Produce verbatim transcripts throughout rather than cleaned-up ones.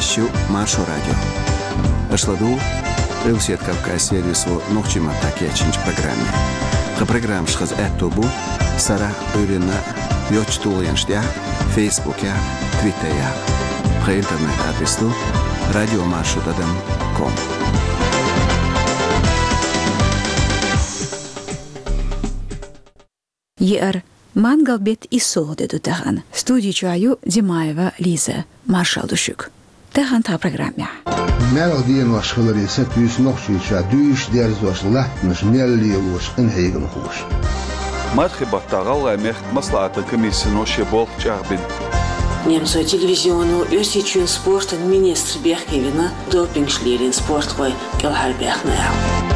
Шу Маршо радио. Аша ладугӀу Къилбаседа Кавказ сервисо нохчийн маттахь кечйинчу программе. Тхан программаш хаза аьтто бу сарахь а, Ӏуьйранна а йоцчу тулгӀенаш тӀехь а, Фейсбукехь а, Твиттерехь а. Тхан интернет-адрес ду радио маршо тӀадам ком. Еара, мангал беттан иссалгӀа де ду тахана. Студи чохь ю Димаева Лиза. Маршалла ду шуьга. Тахана тхан программехь. Маьлхан денош хиларе сатуьйсу Нохчийчохь дуьйш дерзош латтанаш мел лелош къинхьегамхоша. Мархин баттахь ГӀалгӀайн мехкан маслаӀатан комиссино шен болх чӀагӀбина. Немцойн телевизионо Оьрсийчоьнан спортан министр бехке вина, допингаш лелийна спортхой кӀелхьарбаьхна аьлла.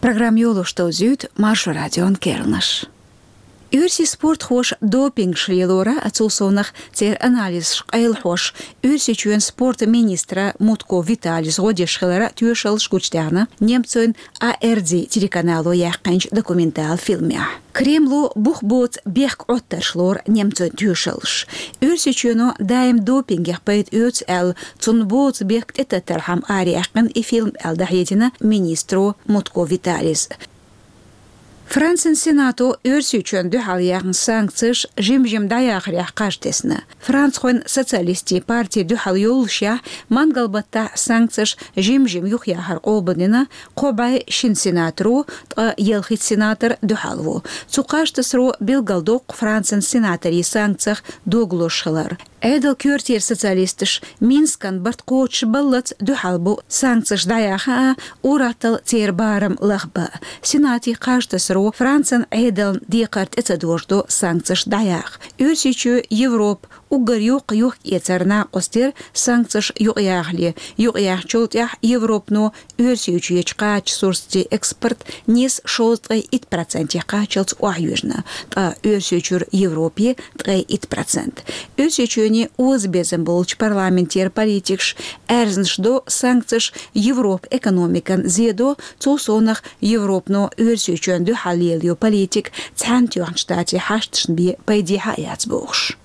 Программа йолош довзуьйту Маршо радион керланаш. Оьрсийн спортхоша допингаш лелоран а, цул совнах церан анализаш къайлахьош, Оьрсийчоьнан спортан министра Мутко Виталис гӀо деш хиларан а тоьшаллаш гучудаьхна немцойн А Р Д телеканало яьккхинчу документалан фильмехь. Кремло бух боцу бехк Ӏоттарш лору немцойн тоьшаллаш. Оьрсийчоьно даим допингех пайда оьцу аьлла, цунна боцу бехк тӀетаттархьама араяьккхина и фильм аьлла дӀахьедина министро Мутко Виталис. Францин Сенато Оьрсийчоьнна дуьхьал яьхна санкцеш жим-жим дӀаяхарехь кхаж тесна. Францхойн социалистийн парти дуьхьал йоллушехь, мангал баттахь санкцеш жим-жим юхаяхар къобалдина кхо бӀе шина сенаторо, ткъа ялхитта сенатор дуьхьал ву. Цу кхаж тасаро билгалдоккху Францин сенаторийн санкцех дог лозуш хилар. Ӏедалан коьртера социалисташ Минскан барт кхочушбаллалц дуьхьал бу санкцеш дӀаяха а, ур-атталла церан барам лахбан а. Сенатан кхаж тасаро Францин Ӏедална декхар тӀе ца дожадо санкцеш дӀаяха. Оьрсийчоь Европа уггар йоккха юхкъаэцаран накъост яра санкцеш юкъаяхале. Юкъаяьхначул тӀаьхьа Европано Оьрсийчуьрчу кхача сурсатийн экспорт нийса шовзткъе итт процентех кхаччалц охьайоьжна, ткъа Оьрсийчуьра Европе ткъе итт процент. Оьрсийчоьнан озабезам болчу парламентера политикаш аьрзнаш до санкцеш Европан экономикана зе до, цул совнах Европано Оьрсийчоьнна дуьхьал лелайо политика Цхьаьнатоьхначу Штатийн хьашташна бен пайдехьа а яц бохуш.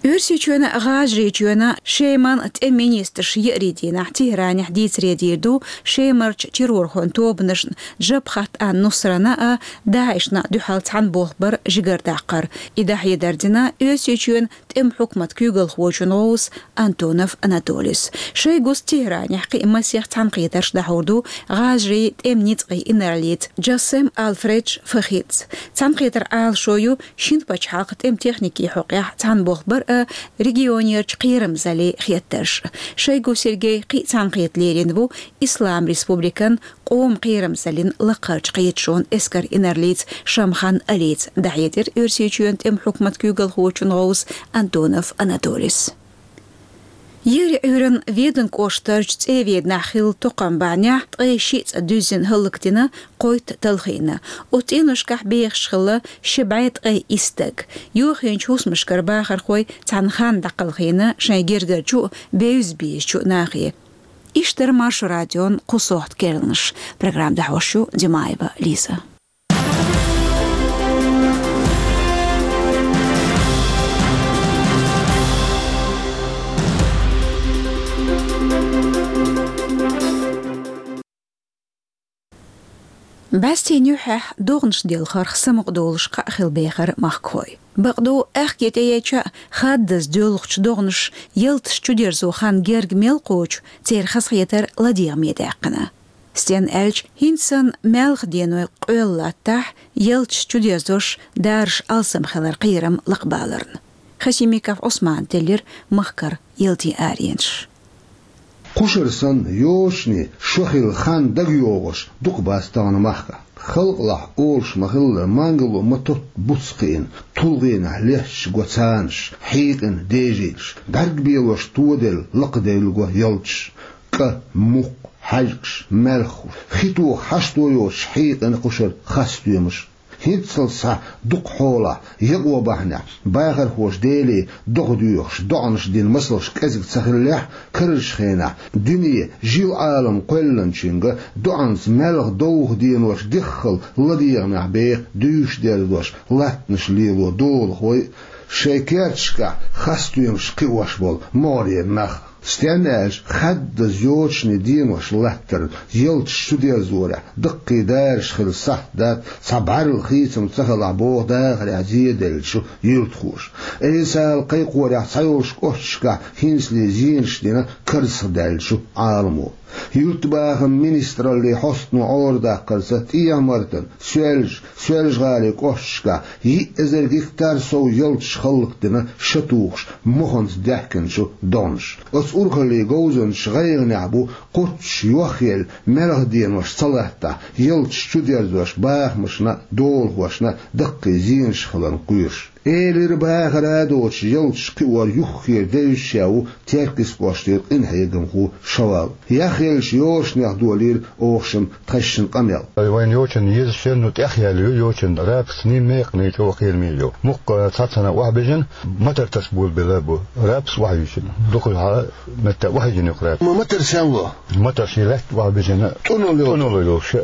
Оьрсийчоьнан, ГӀажарийчоьнан, Шеман тӀеман министраш еарин дийнахь Тегьранехь дийцаре дийр ду Шемарчу террорхойн тобанашна Джабхат ан-Нусрана а, ДАИШна а дуьхьал цхьаьна болх бар жигардаккхар. И дӀахьедар дина Оьрсийчоьнан тӀеман хьукматан куьйгалхочун гӀовс Антонов Анатолис. Шайгус Тегьранехь кхин а масех цхьаьнакхетарш дӀахьур ду ГӀажарийн тӀеман ницкъийн инарлица Джассем Алфредж Фахидс. Цхьаьнакхетаран Ӏалашо ю шина пачхьалкхан тӀеман техникин хьокъехь цхьаьна болх бар а, регионерчу кхерамзаллин хеттарш а. Шойгу Сергей кхин а цхьаьнакхета лерина ву Ислам Республикан къоман кхерамзаллин лакхарчу кхеташонан эскаран инарлица Шамхан Алица, дӀахьедира Оьрсийчоьнан тӀеман хьукматан куьйгалхочун гӀовс Антонов Анатолис. Еарин Ӏуьйранна Веданан кӀоштарчу ЦӀе-Веданахь хилла токхам бахьанехь ткъе шиъ цӀа дуьззина хӀаллакдина, кхойтта талхийна. Оцу цӀеношкахь бехаш хилла ши бӀе ткъе исс стаг. Йохийначу хӀусамашкара бахархой цхьана ханна дӀакхалхийна шайн гергарчу а, бевза безачу а нахе. Иштта дара Маршо радион кху сохьта керланаш. Программа дӀахьош ю Димаева Лиза. БӀаьстенан юьххьехь догӀанаш делхарх самукъадолуш кхаъ хила бехара махкахой. Бакъду, аьхке тӀееча а хаддаза доьлхучу догӀанаш ялташ чудерзо хан герга мел кхочу, церан хазахетар ладегӀаме даьккхина. Стенна аьлча, хӀинца санна маьлхан денойн къоьлла латтахь, ялташ чудерзош, дараш алсам хилар кхерам лакхабаларна. Хасимиков Ӏусмана теллира махкара ялтин аренаш. Кхушара санна, йочане шо хилла хан дагайогӀуш дукха бац тахана махкахь. Халкъалахь олуш ма-хиллара, мангало ма-тотта буц кхиъна, тулгӀенахь лехча го цанаш, хьийкъина дежийлаш, бӀаьрг белош тоделла лакхаделла го ялташ. КӀа, мукх, хьаьжкӀаш, маьлхуш, хи тоха хьашто йоцуш хьийкъина кхушара хасстоьмаш. ХӀинццалц схьа дукха хьолахь, якъо бахьанехь, бахархоша Деле догӀа доьхуш, доӀанаш дина масалш кӀезиг ца хиллехь, карарчу хенахь дуьне, жил-Ӏалам кхоьллинчуьнга доӀанца маьлха довха денош деххал ладегӀамехь беха дуьйш дерзош латтанаш лело долахой а, шайн керташкахь хасстоьмаш кхиош болу могӀарера нах. Стенна аьлча, хаддаза йочане денош латтарна, ялташ чудерзорехь, даккхий дараш хила сахьт дац, цхьа бӀаьрла хийцам ца хилахь боху дахарехь зеделлачу юьртахоша. Айсала кхайкхорехь цхьайолчу кӀошташкахь хӀинцале зенаш дина карзахдаьллачу Ӏаламо. Юьртабахаман министраллин хьостано Ӏорадаккхарца, ТӀехьа-Мартан, Соьлж-, Соьлжа-ГӀалин кӀошташкахь йиъ эзар гектар сов ялташ хӀаллакдина ша тухуш, моханца даьхкинчу догӀнаша. Оцу урхаллин говзанчаша гӀайгӀанехь бу кхоччуш йохъелла маьлха денош ца латтахь, ялташ чудерзош бахамашна а, долахошна а даккхий зенаш хиларна кхоьруш. Элира, бахара а доцуш, ялташ кхиор юххера девзаш а ву Теркйист кӀоштара къинхьегамхо Шавал. Яхъеллачу йошанех долийра оха шимма тхаьшшинна къамел. Вайна йочана езачу, ну, тӀехъяьлла ю йочана, рапсаний, мекханий, чӀогӀа кхераме ю. Мукъа цхьаццанхьа охьабижина, мотор таса болабелла бу. Рапс охьайижина. Дукха хьала метта охьайижина ю рапс. Ма мотор сенло? Мотор шен лаьтта охьабижина. ТӀуналла йолу. ТӀуналла йолуш.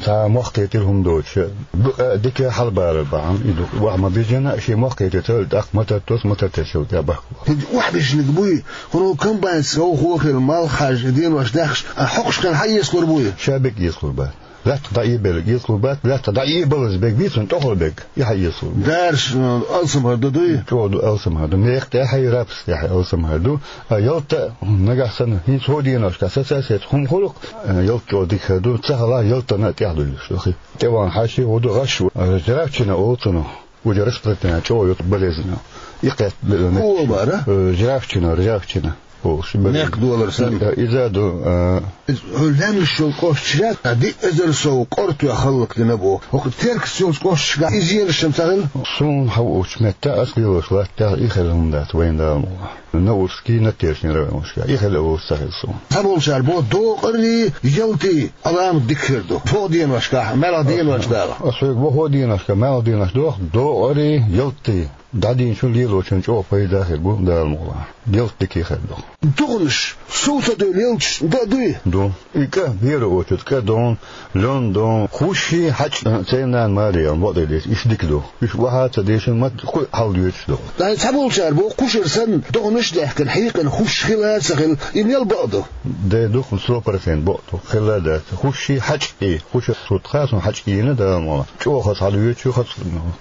Цхьа мохк кхетийла хӀума доцуш. Бу-, а, дика хьалабалар бахьана, и ду. Охьа ма бижина, шен мохк кхетийта, тӀаккха мотор тосу, мотор тешал тӀе бахка. ХӀинца охьабижниг буй, хӀуна комбайнца совхо хила, малх хьажа, денош даьхкаш, а хьокхуш хилла хьан эцалур буй? Ша бег эцалур бац. Лаьттах дӀаэбелларг эцалур бац, лаьттах дӀаэбалаза бег бийцина тӀехула бег, и хьан эцалур бу. Дараш, э, алсамхар ду дуй? ЧӀогӀа ду алсамхар ду. Мекх тӀехь а, рапс тӀехь а алсамхар ду. А ялта нагахь санна, хӀинца хӀо деношкахь сацасецахь хӀума хуьлу-кх, э, ялта чӀогӀа дика хир ду, ца хилахь ялтана а тӀехь дуьйлуш ду хи. ТӀе вахана хьаьший хӀу ду, гӀаш ву, э, жравчина олу цунах. Уже распространяется, чӀогӀа ю болезнь. И кхетта бе-, хӀу бара? Э, жравчина, ржавчина. Олуш бара. Мекх долар санна. Иза ду, э, иза хьо лаьмнаш йолу кӀошташ яц, а диъ эзар сов къорта хӀаллакдина боху. ХӀокху Теркйист йолчу кӀошташкахь и зенаш ца хилла? Суна хьан уучу метта ас лелош латтехь и хилла хӀума дац вайна Дала мукъ лахь. Наурский, Надтешнин районашкахь. И хилла волуш ца хилла суна. Цхьаболчара боху, докъарий, ялтий Ӏаламат дика хир ду. ХӀо деношкахь, маьлха денош дала. Ас хьоьга боху, хӀо деношкахь, маьлха денош доху, докъарий, ялтий. ДӀадийначун, лелочун чӀогӀа пайда хир бу, Дала мукъ лахь. Ялта дика хир ду. ДогӀанаш, сов ца девлла ялташ дан а дуй? Ду. И кӀа, первый очередь, кӀа дон, лен дон, хӀуш хьаьжкӀа, церан нана Мария, бакъдерг дийцича, иштта дика ду. Уьш охьа а ца дешна, ма кхуьу хьалдоьдуш ду. Ай, цхьаболчара боху, кхушара санна, догӀанаш а даьхкина, хьийкъина хӀуш хилла а ца хилла, и мел бакъ ду? Де ду-кх, сто процент бакъ ду, хилла а дац. ХӀуш хьаьжкӀий, кхушара сурт хаа суна хьаьжкӀийна, Дала мукъ лахь. ЧӀогӀа хаза хьалдоьдуш ю, хаза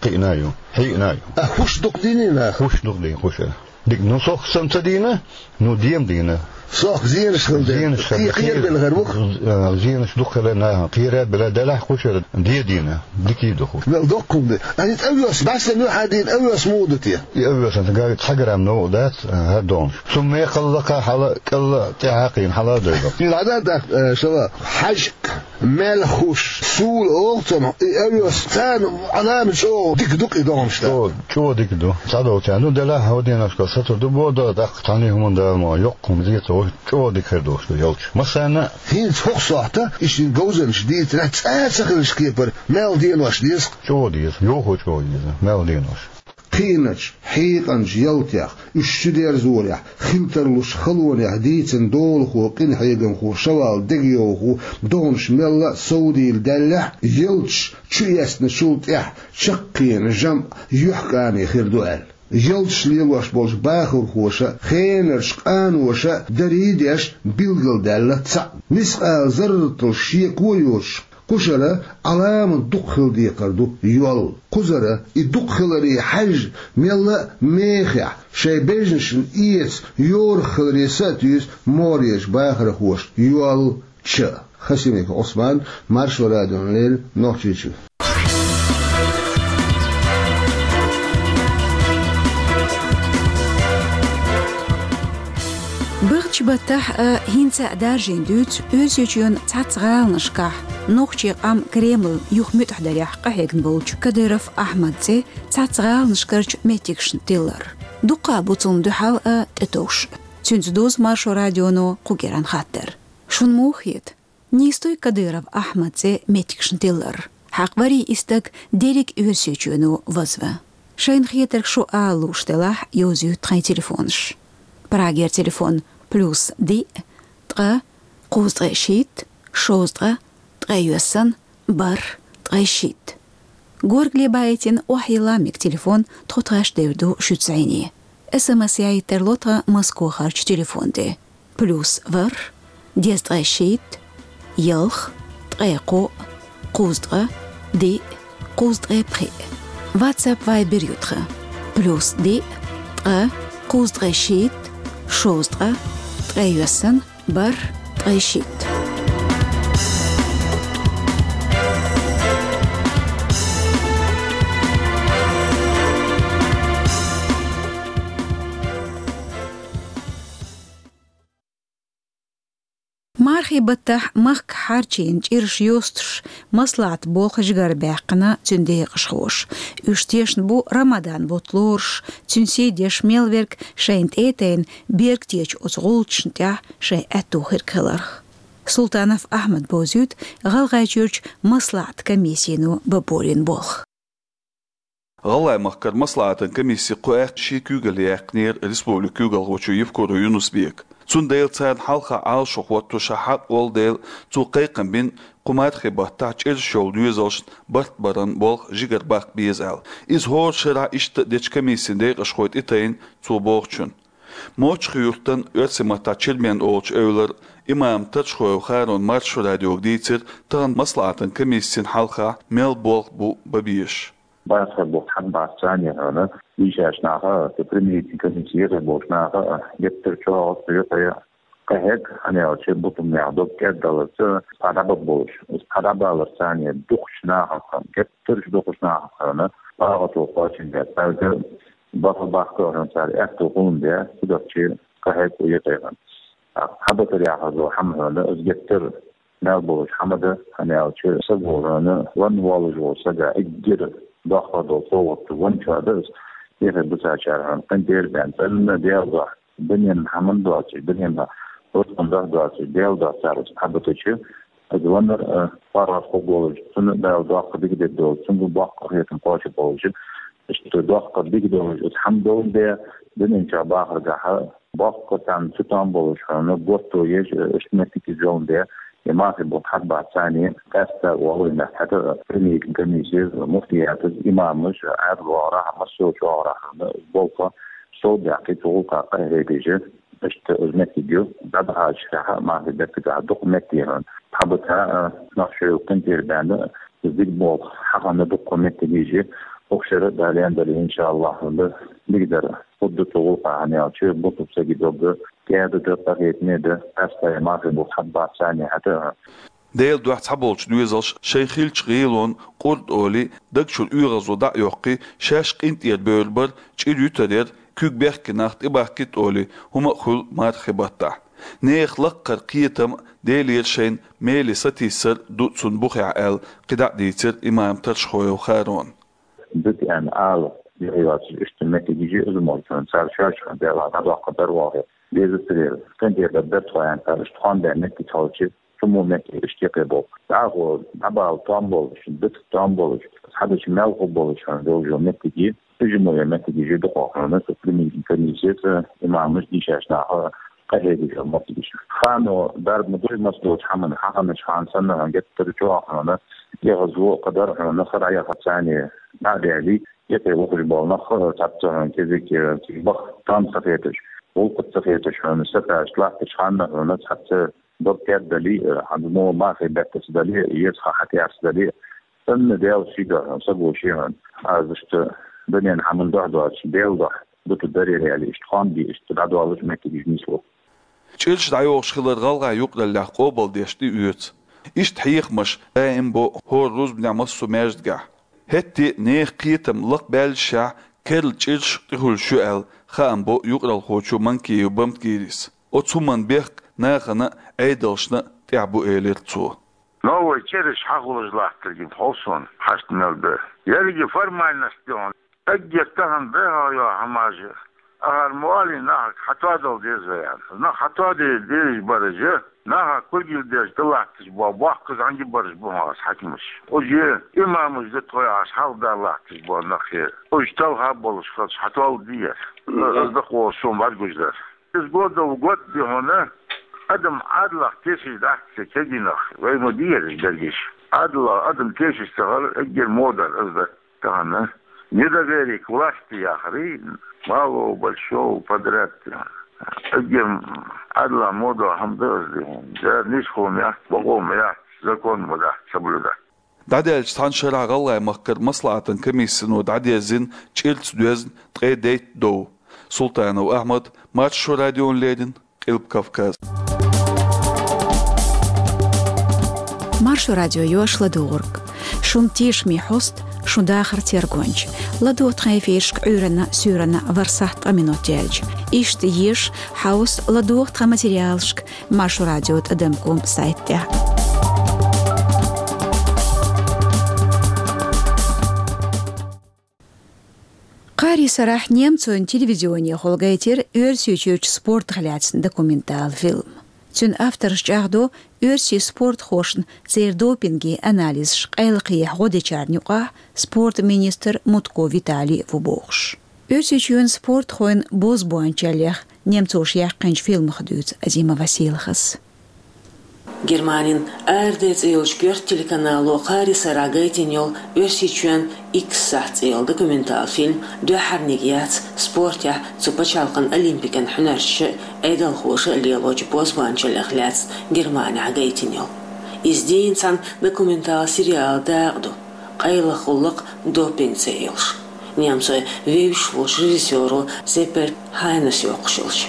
кхиъна а ю, хьийкъина а ю. А хӀуш дукха дийний наха? ХӀуш дукха дийна, кхушара. Дика, ну, сох санна ца дийна, ну, дема дийна. Сох зенаш хилла дела. Зенаш хилла. Кхе-, кхерабелла хир бу-кх? З-, а, зенаш дукха хилла нахана. Кхерабелла делахь, кхушара де дийна. Дика ду хӀу. Мел доккха хӀума ду. Ай, овес, бӀаьсса ю хьан дийна овес муха ду те? И овес ца га-, цхьа грамм новкъа дац, а, хӀара догӀанаш. Цу мекхалла кхаьа хьала, кӀалла тӀаьхьа кхийна хьала а дойла. Иза хьан да тӀаккха, э, шала, хьаьжкӀа, маьлха хӀуш, сула олу цунах, и овес царна Ӏаламат чӀогӀа дика ду-кх и догӀанаш да. ЧӀогӀа, чӀогӀа дика ду. Цхьадолчарна, ну, делахь хӀо деношкахь сацур ду боху, тӀаккха цхьанна хӀуманна Дала ма, йоккха хӀума зен ца волуш, чӀогӀа дика хир долуш ду ялташ. Массарна а. ХӀинца хӀокху сохьта, и шин говзанчаш дийцарехь, цкъа а ца хилча кепара, маьлха денош деза-кх. ЧӀогӀа деза, йохо чӀогӀа деза, маьлха денош. Кхиъначу, хьийкъинчу ялтех, уьш чудерзорехь, хила тарлуш халонех дийцина долахо, къинхьегамхо Шавал Дегайовхо догӀанаш мелла а совдийла даьллехь, ялташ чуэцначул тӀаьхьа чаккхенан жамӀ юьхькӀане хир ду аьлла. Ялташ лелош болчу бахархоша, хенарчу къаноша дарий деш билгалдаьлла цхьаъ. Мискъала зарратал шеко а йоцуш, кхушара Ӏаламат дукха хила декхар ду йол. Кхузара и дукха хиларе хьаьжжа, мелла а мехехь, шайн бежнашна эца йорах хиларе са а туьйсу могӀарерчу бахархоша йол ча. Хасимиков Ӏусман, Маршо радиона леррина, Нохчийчуьра. Бахча баттахь а, хӀинца а даржийна дуьйцу Оьрсийчоьнан цхьацца гӀаланашкахь нохчийн къам Кремлна юха муьтӀахь дарехь къахьегна волчу Кадыров Ахьмадан цӀе цхьацца гӀаланашкарчу меттигашна тиллар. Дуккха а бу цунна дуьхьал а, тӀетовш а. Цуьнца дузу Маршо радионо кху кӀиран хаттар. Шуна муха хета? Нийса дуй Кадыров Ахьмадан цӀе меттигашна тиллар? Хьакъ варий и стаг дерриг Оьрсийчоьно вазван. Шайна хетарг шу ала лууш делахь, йовзуьйтта тхайн телефонаш. Прагера телефон: плюс диъ, ткъа, кхузткъе шийтта, шовзткъа, ткъе йоьссан, бархӀ, ткъе шийтта. Горгали баийтина охьайилла мега телефон тхо тхаьш девр ду шуьца зӀене. СМС яйийтар ло тхан Москохарчу телефон тӀе: плюс ворхӀ, дезткъе шийтта, ялх, ткъе кхоъ, кхузткъа, диъ, кхузткъе пхиъ. WhatsApp, Viber ю тхан: плюс диъ, ткъа, кхузткъе шийтта, шовзткъа, ткъе йоьссан, бархӀ, ткъе шийтта. Мархий баттахь махка хьарчийна чӀираш йостуш, маслаӀат болх жигара баьккхина цуьнан декъашхоша. Уьш тешна бу Рамадан бутт лоруш, цуьнан сий деш мел верг шайна тӀе а тайна, берг течу оцу гӀулчашна тӀехь шайн аьтту хирг хиларх. Султанов Ахьмада бовзуьйту ГӀалгӀайчуьрчу маслаӀат комиссино бан болийна болх. ГӀалгӀай махкара маслаӀатан комисси кху аьхка шен куьйгалле яьккхинера республикан куьйгалхочо Евкуров Юнус-Бека. Цундела царна хьалха Ӏалашо хӀотто ша хьакъ волу дела, цо кхайкхам бина кху мархий баттахь чӀираш йолу доьзалшна барт баран болх жигара баккха беза аьлла. Иза хӀора шарахь иштта а дечу комиссин декъашхой тӀетайна цо бохучунна. Мочхи-Юьртан, оьрсийн маттахь Чермен олучу эвлара, имам Таршхоев Харона Маршо радиога дийцира тахана маслаӀатан комиссин хьалха мел болх бу бан безаш. БархӀ болх хьан бац царна хьуна, дийшачу наха, цу примирительный комиссин ехе болчу наха, геттара чӀогӀа юкъе къахьег, хьан аьлча, бутумнех дог кӀеддаларца, цхьа дӀабаб болуш, цхьа дӀабалар царна дукхачу нахах хьуна, геттарш дукхачу нахах хьуна, багӀато кхочун бен, цаьрга баха баккха хьуна, цара аьтту хӀума бен, цу дакчи къахьег у юкъе хьуна. Хьан батарехь хьазо хьан хьуна, ас геттара мел болуш хьан ма дан, хьан аьлча, сагахьуна ван воллуш волу сага эггара доккхар долу совгӀат ван чохь дан ас, тӀехь буьсачара хьуна къинтӀера бен, цӀанна Дела дохь, дуьненан хьаман доцуш, дуьненан хӀордан дохь доцуш, Дела дохь цара ас хьан батачу, ас ваннар, а, паргӀат хӀуг волуш, цунна Дала доккха дика дерг долуш, цуьнга боккха хетам кхочуш болуш, иштта доккха дика долуш, ас хьан долу бен, дуьнен чохь бахаргахьа, боккха царна цу тӀом болуш хьуна, готто еш, иштта меттиг иза йолун де, и мархий болх хьан бац царна, къаьстта валлахӀи, хьета примирительный комиссия, муфтиятас, имамаш, Ӏаьдал вогӀарахь, массо а чӀогӀарахь хьуна, болх совдаьккхи, цу гӀуллакха къахьегаш, иштта иза меттиг ю, дӀадахьачу хьаьха, мархий беттагахь дукха меттиг хьуна. Хьан бата, а, нах шоьлу къинтӀера баьнна, иза дика болх хьахана дукха меттиг йижи, укх шера Дала лен дара, иншааллахӀ, хьуна дика дара. Худда цу гӀуллакха хьан аьлча, буту саги догга, кӀеда дан, къахетаме дан, къаьстта мархий болх хьан бац царна хьета. Делан дуьхьа цхьаболчу доьзалша шайн хиллачу гӀелонна къурд олий, даг чуьра оьгӀазло дӀа а йоккхий, шаьш къинтӀера бевр бар, чӀир ютар яра, куьг бехке нах тӀебахкийта олий, хӀума а хуьлу мархий баттахь. Нехан лаккхара кхетам а, Делера шайна меле сатийсар а ду цунна бухехь аьлла, кхидӀа а дийцира имам Таршхоев Харона. Дитина ала, юхьа йоцуш иштта меттиг йижи иза молчун, цара шоьшка Дела дӀадоккхур дара вохе. Деза царера, къинтӀера дар дара тхо аьлла, цара иштта тхо бен меттиг хьалчи, цу мо меттиг иштта кхе бо. ДӀахо, дӀабала тӀом болуш, дитта тӀом болуш, хьадачу мел хӀу болуш хьуна, йолчу меттиги, уьжа мо е меттиги жи дукхо хьуна, цу примирительный комиссия, цу имамаш, дийшачу наха, къахьегаш йолу меттигаш. Хано дарба ма дуй, мас доцу хьамана, хьаханаш хан санна, геттара чӀогӀа хьуна, егӀазло а кхадар хьуна, хара яха царна, дӀа а бели, Кхетий вахаш болу нах, цхьацца хьуна кизиг, э, цига баха тӀом ца хеташ, гӀуллакх ца хеташ хьуна, сатаьрча латташ ханна хьуна цхьацца дог кӀед далий, э, хьан мо мархий беттаца далий, еза ха хьатӀаьрца далий, санна Дела ши дохьун, са гу ши хьуна. Аз иштта дуьненан хьаман дохь доцуш, Дела дохь, дута дарера аьлла, иштта хьон бий, иштта дӀадоллуш меттигаш нисло. ЧӀираш дӀайохуш хилар гӀалгӀай юкъараллехь къобалдеш тӀеоьцу. Иштта хьехамаш даим бо хӀора рузбанехь массо а маьждигехь. ХӀетте а нехан кхетам лакхабаьллашехь, керла чӀираш тӀехуьлуш ю аьлла, хаам бо юкъаралхочо Манкиев Бамтгирис. Оцу хӀуманна бехк нахана а, Ӏедалшна а тӀехь бу, элира цо. Новый чӀираш хьахулаш латтаргина хьовсуна хьашт мел бе. Ерриге формальность ю хьуна. Эггара тахана дехьа йо хӀамажа. Ахьар мо аьлий нахага, хьатоадала деза вай аьнна. Нах хьатоаде дезаш бараш, наха кулгал деш далатташ бо, боккхаш зӀамига бараш ба хьона хьакимаш. Уж имамаш да тхо яхаш хьалха далатташ бо нах. Уж талха болаш хилча хьатоаладе дезар. Аз дакъо сона бӀаргагуш дар. Из год да, год да хьона, адам Ӏадалах тешаш дац кегий нах. Вай ма дий ераш дерригаш. Ӏадалах адам тешаш ца хилар эггара во дар из да. Тахан недоверие к власти яхар, малого, большого подряд. Эггара Ӏадалах во дола хӀама да из да хьона. Дера нийсхо ма яц, бокъо ма яц, закон ма дац соблюдать. ДӀадаьлча цхьан шарахь ГӀалгӀай-Махкара маслаӀатан комиссино дӀадерзина чӀирца доьзна ткъе дейтта дов. Султанов Ахьмад, Маршо радиона леррина, Къилба Кавказ. Маршо радио йоаш ладувгӀург. Шун тешаме хьост, шун дахар тергонча. ЛадувгӀа тха эфирашка Ӏуьйранна, суьйранна ворхӀ-сахьт ткъа минот яьлча. Иштта еза, хьовса, ладувгӀа тха материалашка Маршо радио тӀадам ком сайта тӀа. Кхаарий сарахь немцойн телевизионехула гайтира Оьрсийчуьрчу спортах лаьцна документал фильм. Цуьнан автораш чӀагӀдо оьрсийн спортхошна церан допингийн анализаш къайлакхехьа гӀо дечарна юкъахь спортан министр Мутко Виталий а ву бохуш. Оьрсийчоьнан спортхойн бозбуанчаллех немцоша яьккхинчу фильмах дуьйцу Азимова Сийлахьас. Германин АРД цӀе йолчу коьрта телеканало кхаарий сарахь гайтина йолу Оьрсийчоьнан Икс сахьт цӀе йолу документал фильм дуьххьарниг яц спортехь цу пачхьалкхан олимпикан хьуьнарчаша а, Ӏедалхоша а лелочу бозбуанчаллех лаьцна Германехь гайтина йолу. Иза дийна цхьана документал сериалан дакъа ду, къайлаха гӀуллакх допинг цӀе йолуш. Немцойн вевзаш волчу режиссёро Зеппельд Хайнас йоккхуш йолчу.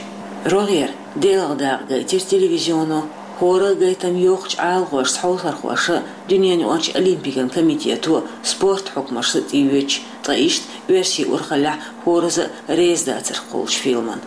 РогӀера делахь дакъа гайтира телевизионо, хӀора а гайтам йоккхачу Ӏалашонца хьовсархоша а, дуьненаюкъарчу олимпикан комитето а, спортан хьукмашца а тӀеоьцуш, ткъа иштта оьрсийн урхаллехь хӀоразза а реза дацарх кхуллучу фильман.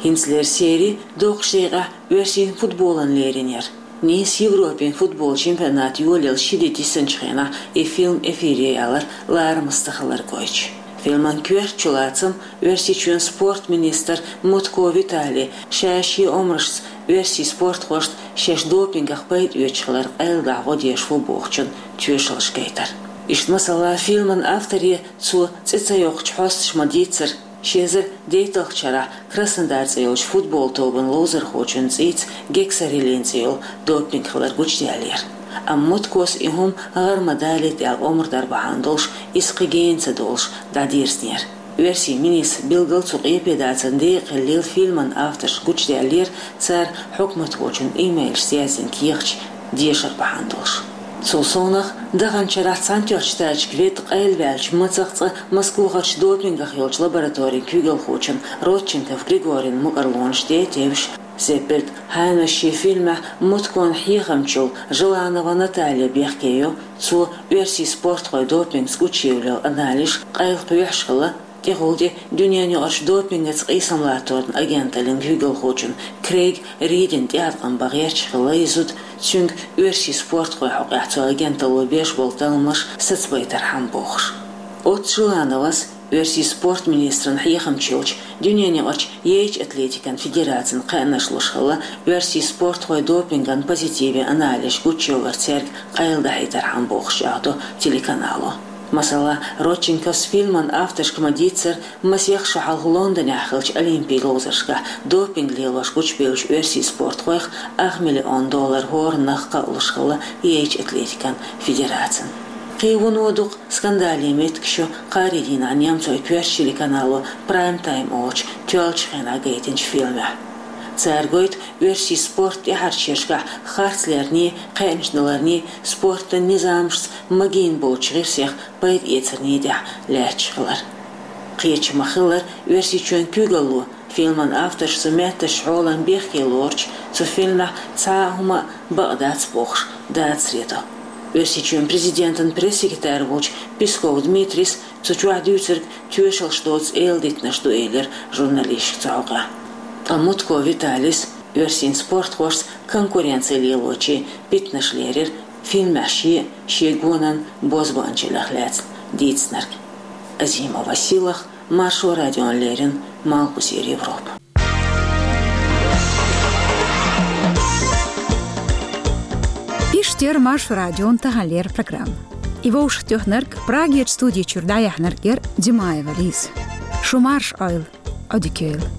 ХӀинцалера сери доккхачу декъехь оьрсийн футболан лерина яра. Нийса Европин футболан чемпионат йолаелла ши де дисинчу хенахь и фильм эфире ялар ларамаза ца хилар гойтуш. Фильман коьрта чулацам Оьрсийчоьнан спортан министр Мутко Виталий ша шен омрашца оьрсийн спортхошна шаьш допингах пайда оьцуш хилар къайладахьа гӀо деш ву бохучун тоьшаллаш гайтар. Иштта, масала, фильман авторе цо цӀе ца йоккхучу хьосташа ма-дийццара, ши эзар дейтталгӀачу шарахь Краснодар цӀе йолчу футболан тобанан ловзархочун цӀийца гексарелин цӀе йолу допинг хилар гучудаьллера. Амма Муткос и хӀума гӀар ма далийта аьлла омра дар бахьана долуш, иза кхин гена ца долуш, дӀадирзинера. Оьрсийн министран билггал цу къепедацан декъахь хиллийла фильман авторша гучудаьллера, цара хьукматхочун имейлашца яздина кехаташ дешар бахьана долуш. Цул совнах, даханчу шарахь Цхьаьнатоьхначу Штаташка ведда къайлаваьллачу мацах цкъа Москвахарчу допингах йолчу лабораторин куьйгалхочун Родченков Григорин мукӀарлонаш тӀе а тевжаш, Зеппельд Хайнас шен фильмехь Муткон хьехамча йолу Желанова Наталья бехке йо, цо оьрсийн спортхойн допингца гучуевлла йолу анализаш къайлакхоьхьуш хилла, тӀехула тӀе дуьненаюкъарчу допингаца къийсам латторан агенталлин куьйгалхочун Крейг Ридина тӀеӀаткъам бан гӀерташ хилла и зуда, цуьнга оьрсийн спортхойн хьокъехь цу агенталло беш болу талламаш сацабайтархьама бохуш. Оццу Желановас, оьрсийн спортан министран хьехамча йолчу, дуьненаюкъарчу яйчу атлетикан федерацина кхаьънаш луш хилла оьрсийн спортхойн допинган позитивин анализаш гучуевлар цаьрга къайладахьийтархьама бохуш чӀагӀдо телеканало. Масала, Родченковс фильман авторшка ма-дийццара, масех шо хьалха Лондонехь хиллачу олимпийн ловзаршкахь допинг лелош гучубевллачу оьрсийн спортхойх ах миллион доллар хӀораннах кхаъ луш хилла яйчу атлетикан федерацина. Кхин вуно дукха скандалан меттигаш ю кхаарин дийнахь немцойн коьртачу телеканало Прайм-тайм олучу тоьллачу хенахь гайтинчу фильмехь. Цара гойту оьрсийн спортан тӀаьхьарчу шерашкахь харц ларний, кхаьънаш даларний, спортан низамашца магийна боцучу гӀирсех пайда эцарний тӀехь лаьтташ хилар. Кхечу ма-хиллара, Оьрсийчоьнан куьйгалло фильман авторш цу меттазчу хьолан бехке лоручу, цу фильмехь цхьа а хӀума а бакъ дац бохуш, дацаре до. Оьрсийчоьнан президентан пресс-секретарь волчу Песков Дмитрийс цу чохь дуьйцург тоьшаллаш доцу эладитанаш ду, элира журналисташка цу хьокъехь. Ткъа Мутко Виталийс оьрсийн спортхошца конкуренци лелочийн питанаш лерира фильмехь шен а, шен гонан бозбуанчаллех лаьцна дийцинарг. Азимова Сийлахь, Маршо радиона леррина, Малхбузера Европа. Иштта яр Маршо радион таханлера программа. И вовшахтоьхнарг, Прагерча студи чура дӀаяьхьнарг яр Димаева Лиза. Шу марша Ӏойла, Ӏодика йойла.